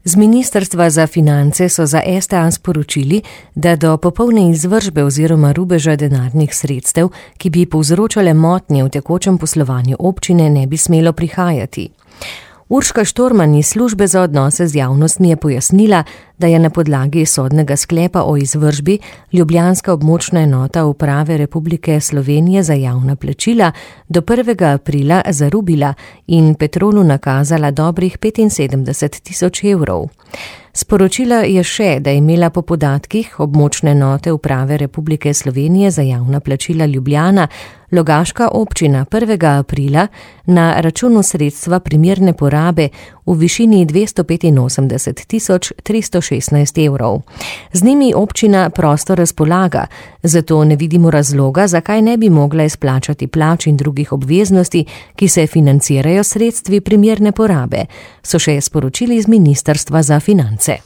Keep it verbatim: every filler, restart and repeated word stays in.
Z Ministrstva za finance so za S T A sporočili, da do popolne izvršbe oziroma rubeža denarnih sredstev, ki bi povzročale motnje v tekočem poslovanju občine, ne bi smelo prihajati. Urška Štorman iz službe za odnose z javnostmi je pojasnila, da je na podlagi sodnega sklepa o izvršbi ljubljanska območna enota Uprave Republike Slovenije za javna plačila do prvega aprila zarubila in Petrolu nakazala dobrih petinsedemdeset tisoč evrov. Sporočila je še, da je imela po podatkih območne enote Uprave Republike Slovenije za javna plačila Ljubljana Logaška občina prvega aprila na računu sredstva primerne porabe v višini dvesto petinosemdeset tisoč tristo šestnajst evrov. Z njimi občina prosto razpolaga, zato ne vidimo razloga, zakaj ne bi mogla izplačati plač in drugih obveznosti, ki se financirajo sredstvi primerne porabe, so še sporočili iz Ministrstva za finance.